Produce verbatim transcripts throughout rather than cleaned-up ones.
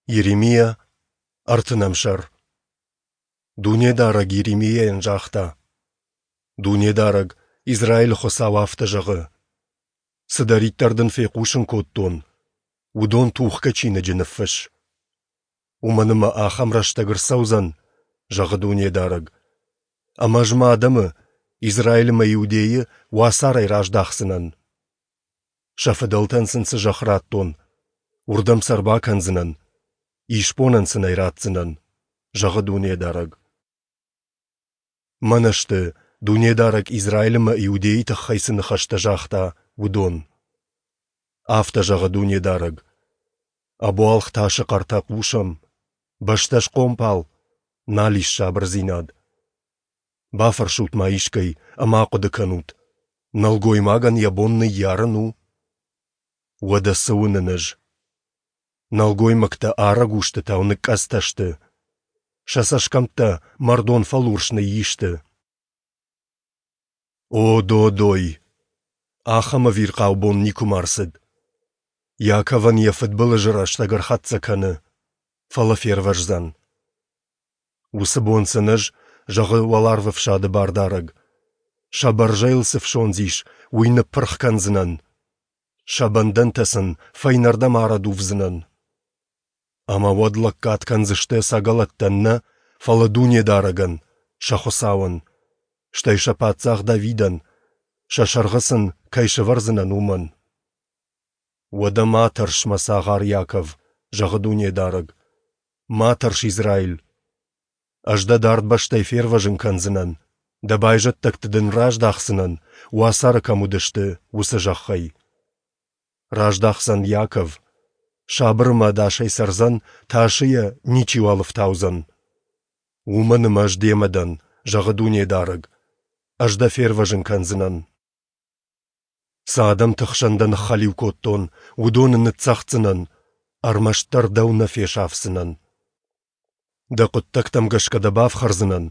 Йеремиа, ӕртынӕм сӕр. Дунедарӕг Йеремиайӕн загъта: Дунедарӕг, Израилы Хуыцау, афтӕ зӕгъы: Цыдӕриддӕр дын фехъусын кодтон, уыдон тухгӕ чиныджы ныффысс. Уымӕн ӕмӕ ахӕм рӕстӕг ӕрцӕудзӕн, зӕгъы Дунедарӕг, ӕмӕ Ӕз Мӕ адӕмы, Израилы ӕмӕ Иудейы, уацарӕй раздахдзынӕн. Сӕ фыдӕлтӕн сын цы зӕхх радтон, уырдӕм сӕ ӕрбакӕндзынӕн, исбонӕн сын ӕй ратдзынӕн, зӕгъы Дунедарӕг. Мӕнӕ сты, Дунедарӕг Израиль ӕмӕ Иудейы тыххӕй цы ныхӕстӕ загъта, уыдон. Афтӕ зӕгъы Дунедарӕг: Ӕбуалгъ тасы хъӕртӕ хъусӕм, бӕстӕ схъомпал, нал ис сабырдзинад. Бафӕрсут-ма искӕй ӕмӕ ахъуыды кӕнут, нӕлгоймагӕн йӕ бон ныййарын у? Уӕдӕ цы уынын ӕз? Нӕлгоймӕгтӕ арӕг устытау ныкъкъӕдзтӕ сты, сӕ цӕсгӕмттӕ мӕрдон фӕлурс ныйисты. О, додой! Ахӕм ӕвирхъау бон никуыма ӕрцыд. Иаковӕн йӕ фыдбылызы рӕстӕг ӕрхӕццӕ кӕны, фӕлӕ фервӕздзӕн. Уыцы бон сын ӕз, зӕгъы Уӕларвӕфсады Бардарӕг, сӕ бӕрзӕйыл цы фсондз ис, уый ныппырх кӕндзынӕн, сӕ бӕндӕнтӕ сын фӕйнӕрдӕм арӕдувдзынӕн. Ӕмӕ уӕд лӕггад кӕндзысты ӕцӕгӕлӕттӕн нӕ, фӕлӕ Дунедарӕгӕн, сӕ Хуыцауӕн, стӕй сӕ паддзах Давидӕн, сӕ сӕргъы сын кӕй сӕвӕрдзынӕн, уымӕн. Уӕдӕ ма тӕрс, мӕ цагъар Иаков, зӕгъы Дунедарӕг, ма тӕрс, Израиль! Ӕз дӕ дард бӕстӕй фервӕзын кӕндзынӕн, дӕ байзӕддӕгты дын раздахдзынӕн, уацары кӕм уыдысты, уыцы зӕххӕй. Раздахдзӕн Иаков, сабыр ӕмӕ ӕдасӕй цӕрдзӕн, тасы йӕ ничиуал ӕфтаудзӕн. Уымӕн ӕмӕ ӕз демӕ дӕн, зӕгъы Дунедарӕг, ӕз дӕ фервӕзын кӕндзынӕн. Цы адӕмты хсӕн дӕ ныххӕлиу кодтон, уыдоны ныццӕгъддзынӕн, ӕрмӕстдӕр дӕу нӕ фесафдзынӕн. Дӕ хъуыддӕгтӕм гӕсгӕ дӕ бафхӕрдзынӕн,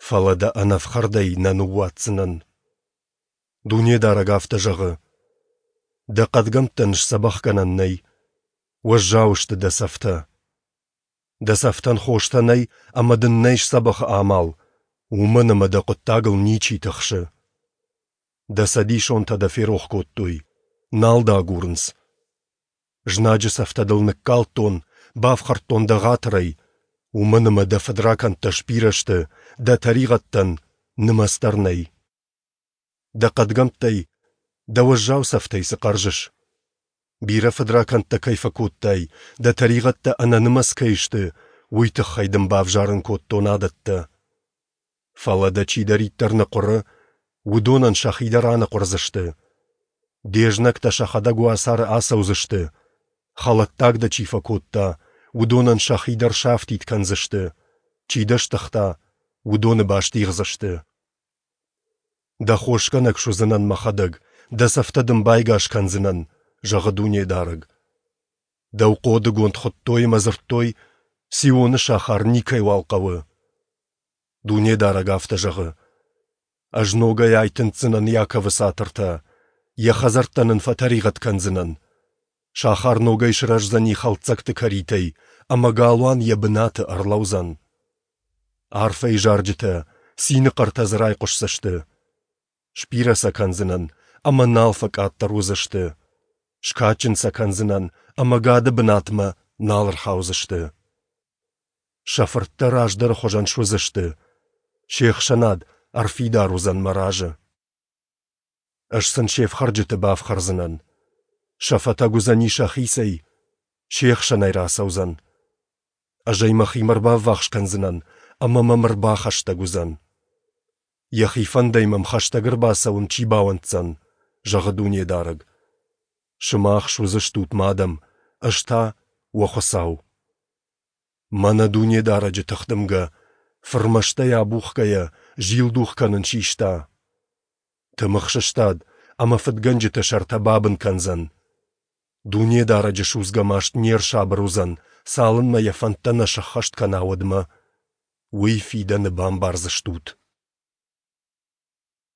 фӕлӕ дӕ ӕнӕфхӕрдӕй нӕ ныууадздзынӕн. Дунедарӕг афтӕ зӕгъы: Дӕ хъӕдгӕмттӕн сдзӕбӕхгӕнӕн нӕй, уӕззау сты дӕ цӕфтӕ. Дӕ цӕфтӕн хостӕ нӕй ӕмӕ дын нӕй сдзӕбӕхы амал, уымӕн ӕмӕ дӕ хъуыддагыл ничи тыхсы. Дӕ цӕдисонтӕ дӕ ферох кодтой, нал дӕ агурынц. Знаджы цӕфтӕ дыл ныккалдтон, бафхӕрдтон дӕ ӕгъатырӕй, уымӕн ӕмӕ дӕ фыдракӕндтӕ сбирӕ сты, дӕ тӕригъӕдтӕн нымӕц дӕр нӕй. Дӕ хъӕдгӕмттӕй, дӕ уӕззау цӕфтӕй цы хъӕрзыс? Бирӕ фыдракӕндтӕ кӕй фӕкодтай, дӕ тӕригъӕдтӕ ӕнӕнымӕц кӕй сты, уый тыххӕй дын бавзарын кодтон адӕттӕ. Фӕлӕ дӕ чидӕриддӕр ныхъуыры, уыдонӕн сӕхи дӕр аныхъуырдзысты. Де знӕгтӕ сӕхӕдӕг уацары ацӕудзысты, хӕлӕттаг дӕ чи фӕкодта, уыдонӕн сӕхи дӕр сафтид кӕндзысты, чи дӕ стыгъта, уыдоны бастигъдзысты. Дӕ хосгӕнӕг суыдзынӕн мӕхӕдӕг, дӕ цӕфтӕ дын байгас кӕндзынӕн, зӕгъы Дунедарӕг. Дӕу хъодыгонд хуыдтой ӕмӕ дзырдтой, Сионы сахар никӕйуал хъӕуы. Дунедарӕг афтӕ зӕгъы: Ӕз ногӕй айтындздзынӕн Иаковы цатыртӕ, йӕ хӕдзӕрттӕн ын фӕтӕригъӕд кӕндзынӕн. Сахар ногӕй сырӕздзӕни хӕлддзӕгты кӕритӕй, ӕмӕ галуан йӕ бынаты ӕрлӕудзӕн. Арфӕйы зарджытӕ, цины хъӕртӕ дзы райхъуысдзысты. Сбирӕ сӕ кӕндзынӕн, ӕмӕ нал фӕкъаддӕр уыдзысты. Скадджын сӕ кӕндзынӕн, ӕмӕ гӕды бынатмӕ нал ӕрхаудзысты. Сӕ фырттӕ раздӕры хуызӕн суыдзысты, се хсӕнад ӕрфидар уыдзӕн мӕ разы. Ӕз сын се фхӕрджыты бафхӕрдзынӕн. Сӕ фӕтӕг уыдзӕни сӕхицӕй, се хсӕнӕй рацӕудзӕн. Ӕз ӕй мӕхимӕ ӕрбаввахс кӕндзынӕн, ӕмӕ мӕм ӕрбахӕстӕг уыдзӕн. Йӕхи фӕндӕй мӕм хӕстӕг ӕрбацӕуын чи бауӕнддзӕн, зӕгъы Дунедарӕг. Сымах суыдзыстут мӕ адӕм, ӕз та уӕ Хуыцау. Мӕнӕ Дунедарӕджы тыхдымгӕ, фырмӕстӕй абухгӕйӕ, зилдух кӕнын систа. Тымыгъ сыстад ӕмӕ фыдгӕнджыты сӕртӕ бабын кӕндзӕн. Дунедарӕджы судзгӕ маст не рсабыр уыдзӕн, цалынмӕ йӕ фӕндтӕ нӕ сӕххӕст кӕна, уӕдмӕ. Уый фидӕны бамбардзыстут.